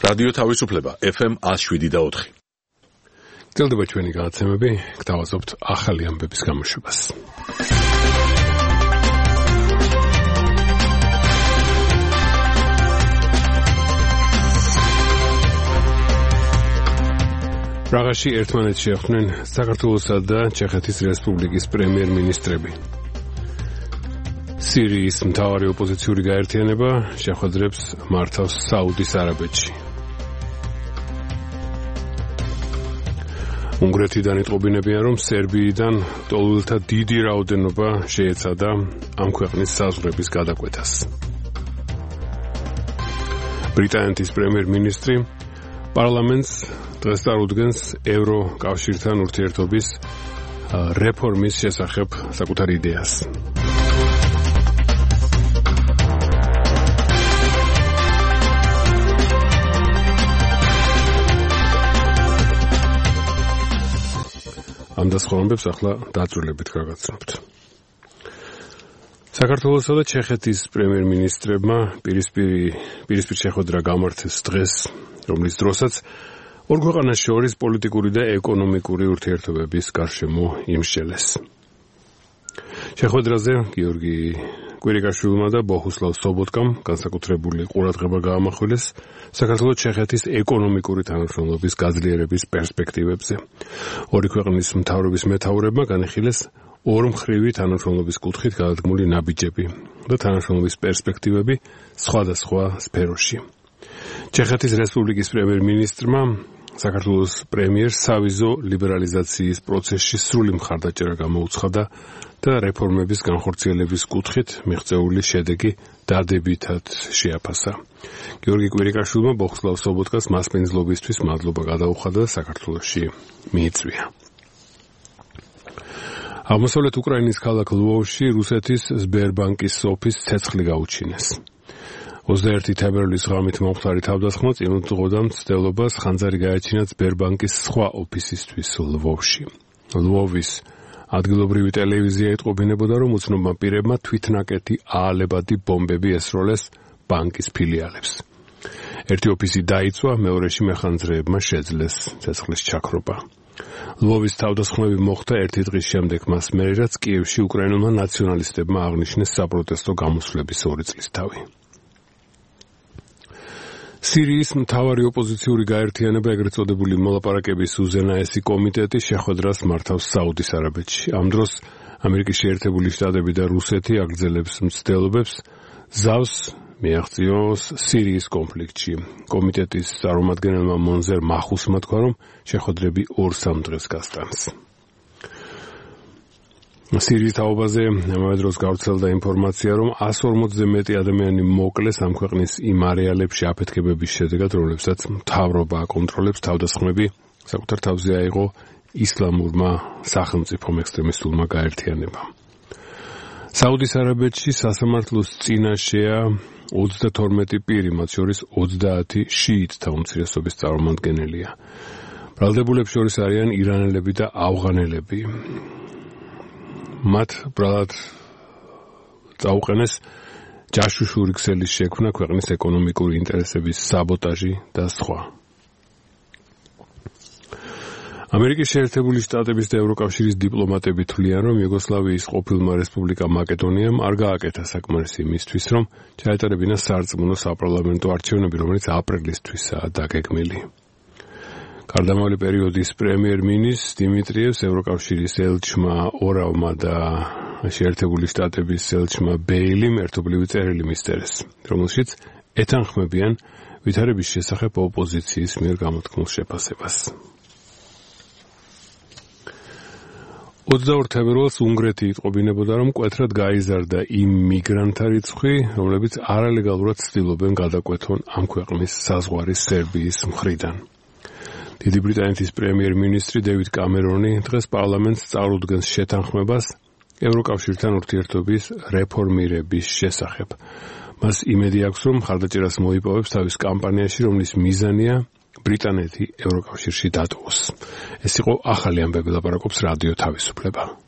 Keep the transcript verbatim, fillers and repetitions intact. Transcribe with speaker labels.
Speaker 1: რადიო თავისუფლება ეფ ემ one oh seven point four.
Speaker 2: გრძელდება ჩვენი გადაცემები, გთავაზობთ ახალი ამბების გამოშვებას. პრაღაში ერთმანეთს შეხვდნენ საქართველოსა და ჩეხეთის რესპუბლიკის პრემიერ-მინისტრები. სირიის მთავარი ოპოზიციური გაერთიანება შეხვედრებს მართავს საუდის არაბეთში. უნგრეთიდან იტყობინებიან, რომ სერბიიდან ტოლულთა დიდი რაოდენობა შეეცადა ამ ქვეყნის საზღვრების გადაკვეთას. ბრიტანეთის პრემიერ-მინისტრი პარლამენტს დღეს წარუდგენს ევროკავშირთან ურთიერთობის რეფორმის შესახებ საკუთარ იდეას. ამ დასხოვნებს ახლა დაწვრილებით გაგაცნობთ. საქართველოსა და ჩეხეთის პრემიერ-მინისტრებმა პირისპირი პირისპირ შეხვედრა გამართეს დღეს, რომლის დროსაც ორ ქვეყანას შორის პოლიტიკური და ეკონომიკური ურთიერთობების გარშემო იმსჯელეს. შეხვედრაზე გიორგი კვირიკაშვილმა და ბოჰუსლავ სობოტკამ განსაკუთრებული ყურადღება გაამახვილეს საქართველოს-ჩეხეთის ეკონომიკური თანამშრომლობის გაძლიერების პერსპექტივებზე. ორი ქვეყნის მთავრობის მეთაურებმა განიხილეს ორმხრივი თანამშრომლობის კუთხით გადადგმული ნაბიჯები და თანამშრომლობის პერსპექტივები სხვადასხვა სფეროში. ჩეხეთის რესპუბლიკის პრემიერ-მინისტრმა საქართველოს პრემიერს სავიზო ლიბერალიზაციის პროცესში სრული მხარდაჭერა გამოუცხადა და რეფორმების განხორციელების კუთხით მიღწეული შედეგი დადებითად შეაფასა. გიორგი კვირიკაშვილმა ბოჰუსლავ სობოტკას მასპინძლობისთვის მადლობა გადაუხადა და საქართველოში მიიწვია. აღმოსავლეთ უკრაინის ქალაქ ლვოვში რუსეთის სბერბანკის ოფისს ცეცხლი გაუჩინეს. ოცდაერთი თებერვლის ღამით მომხდარი თავდასხმა წინ უძღოდა მცდელობას ხანძარი გააჩინა სბერბანკის სხვა ოფისისთვის ლვოვში. ლვოვის ადგილობრივი ტელევიზია ეტყობინებოდა, რომ უცნობმა პირებმა თვითნაკეთი აალებადი ბომბები ესროლეს ბანკის ფილიალებს. ერთი ოფისი დაიწვა, მეორეში მეხანძრეებმა შეძლეს ცეცხლის ჩაქრობა. ლვოვის თავდასხმები მოხდა ერთი დღის შემდეგ მას მერე, რაც კიევში უკრაინულმა ნაციონალისტებმა აღნიშნეს საპროტესტო გამოსვლების ორი წლისთავი. სირიის მთავარი ოპოზიციური გაერთიანება, ეგრეთ წოდებული მოლაპარაკების უზენაესი კომიტეტი შეხვედრას მართავს საუდის არაბეთში. ამ დროს ამერიკის შეერთებული შტატები და რუსეთი აგრძელებს მცდელობებს ზავს მიაღწიოს სირიის კონფლიქტში. კომიტეტის წარმომადგენელმა მონზერ მახუსმა თქვა, რომ შეხვედრები ორ-სამ დღეს გასტანს. სირიის თაობაზე ამავე დროს გავრცელდა ინფორმაცია, რომ one forty მეტი ადამიანი მოკლეს ამ ქვეყნის იმ არეალებში აფეთქებების შედეგად, რომლებსაც მთავრობა აკონტროლებს. თავდასხმები საკუთარ თავზე აიღო ისლამურმა სახელმწიფომ ექსტრემისტულმა გაერთიანებამ. საუდის არაბეთში სასამართლოს წინაშეა ოცდათორმეტი პირი, მათ შორის ოცდაათი შიიტთა უმცირესობის წარმომადგენელია. ბრალდებულებს შორის არიან ირანელები და ავღანელები. მათ ბრალად წაუყენეს ჯაშუშური ქსელის შექმნა, ქვეყნის ეკონომიკური ინტერესების საბოტაჟი და სხვა. ამერიკის შეერთებული შტატების და ევროკავშირის დიპლომატები თვლიან, რომ იუგოსლავიის ყოფილმა რესპუბლიკა მაკედონიამ არ გააკეთა საკმარისი იმისთვის, რომ ჩაეტარებინა სარწმუნო საპარლამენტო არჩევნები, რომელიც აპრილისთვისაა დაგეგმილი. გარდამავალი პერიოდის პრემიერ-მინისტრ დიმიტრიევს ევროკავშირის ელჩმა ორავმა და შეერთებული შტატების ელჩმა ბეილიმ ერთობლივი წერილი მისწერეს, რომელშიც ეთანხმებიან ვითარების შესახებ ოპოზიციის მიერ გამოთქმულ შეფასებას. ოცდაორ თებერვალს უნგრეთი იტყობინებოდა, რომ მკვეთრად გაიზარდა იმ მიგრანტთა რიცხვი, რომლებიც არალეგალურად ცდილობენ გადაკვეთონ ამ ქვეყნის საზღვარი სერბიის მხრიდან. დიდი ბრიტანეთის პრემიერ-მინისტრი დევიდ კამერონი დღეს პარლამენტს წარუდგენს შეთანხმებას ევროკავშირთან ურთიერთობის რეფორმირების შესახებ. მას იმედი აქვს, რომ მხარდაჭერას მოიპოვებს თავის კამპანიაში, რომლის მიზანია ბრიტანეთი ევროკავშირში დატოვოს. ეს იყო ახალი ამბები, ლაპარაკობს რადიო თავისუფლება.